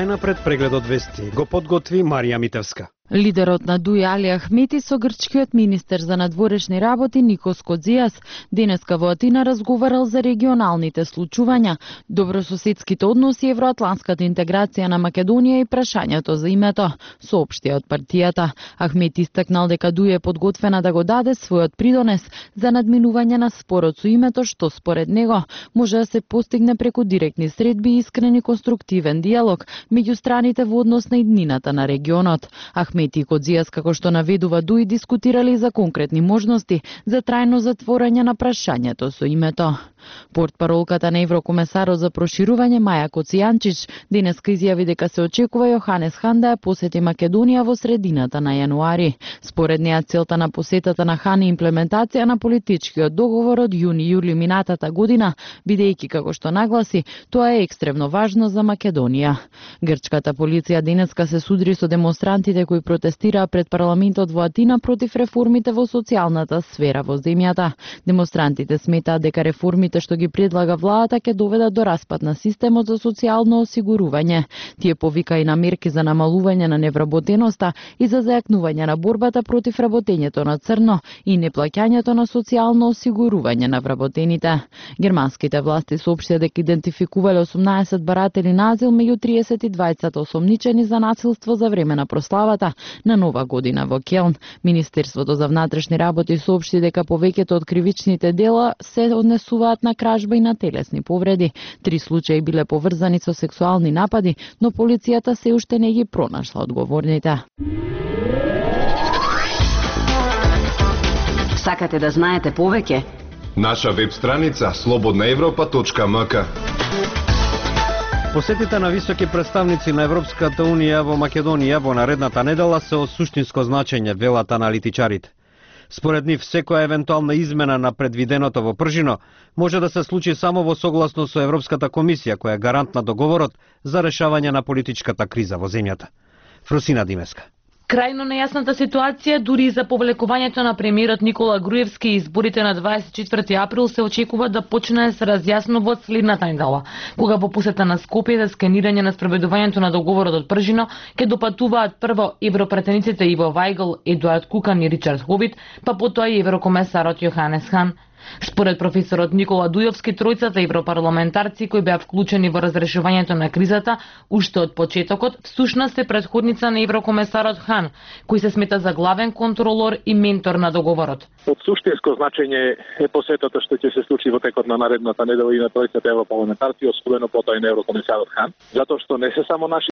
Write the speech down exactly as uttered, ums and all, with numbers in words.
Најнапред прегледот вести го подготви Марија Митевска. Лидерот на ДУИ Али Ахмети со грчкиот министер за надворешни работи Никос Кодзијас денеска во Атина разговарал за регионалните случувања, добрососедските односи, евроатланската интеграција на Македонија и прашањето за името, соопшти од партијата. Ахмети истакнал дека ДУИ е подготвена да го даде својот придонес за надминување на спорот со името, што според него може да се постигне преку директни средби и искрен и конструктивен диалог меѓу страните во однос на иднината на регионот. Ахмети и Кодзијас, како што наведува ДУИ, дискутирали за конкретни можности за трајно затворање на прашањето со името. Портпаролката на еврокомесарот за проширување Маја Коцијанчич денеска изјави дека се очекува Јоханес Хан да ја посети Македонија во средината на јануари. Според неа целта на посетата на Хан е имплементација на политичкиот договор од јуни-јули минатата година, бидејќи, како што нагласи, тоа е екстремно важно за Македонија. Грчката полиција денеска се судри со демонстрантите кои протестираа пред парламентот во Атина против реформите во социјалната сфера во земјата. Демонстрантите сметаат дека реформите што ги предлага владата ќе доведат до распад на системот за социјално осигурување. Тие повика и на мерки за намалување на невработеноста и за зајакнување на борбата против работењето на црно и неплаќањето на социјално осигурување на вработените. Германските власти соопштија дека идентификувале осумнаесет баратели на азил меѓу триесет и двајцата осомничени за насилство за време на прославата на Нова година во Келн. Министерството за внатрешни работи соопшти дека повеќето од кривичните дела се однесуваат на кражба и на телесни повреди. Три случаи биле поврзани со сексуални напади, но полицијата се уште не ги пронашла одговорните. Сакате да знаете повеќе? Наша веб страница слободна европа точка ем ка. Посетите на високи представници на Европската Унија во Македонија во наредната недела се од суштинско значење, велат аналитичарите. Според нив, секоја евентуална измена на предвиденото во Пржино може да се случи само во согласно со Европската комисија, која е гарант на договорот за решавање на политичката криза во земјата. Фросина Димеска. Крајно нејасната ситуација дури и за повлекувањето на премиерот Никола Груевски и изборите на дваесет и четврти април се очекува да почне да се разјаснува од следната недела, кога во посета на Скопје за сканирање на спроведувањето на договорот од Пржино ќе допатуваат прво европретениците Иво Вајгл, Едуард Кукан и Ричард Хобит, па потоа и еврокомесарот Јоханес Хан. Според професорот Никола Дујовски, тројцата европарламентарци кои беа вклучени во разрешувањето на кризата уште од почетокот, всушност е претходница на еврокомесарот Хан, кој се смета за главен контролор и ментор на договорот. Од суштинско значење е посетата што ќе се случи во текот на наредната недела и на тројцата европарламентарци, особено потоа и на еврокомесарот Хан, затоа што не се само наши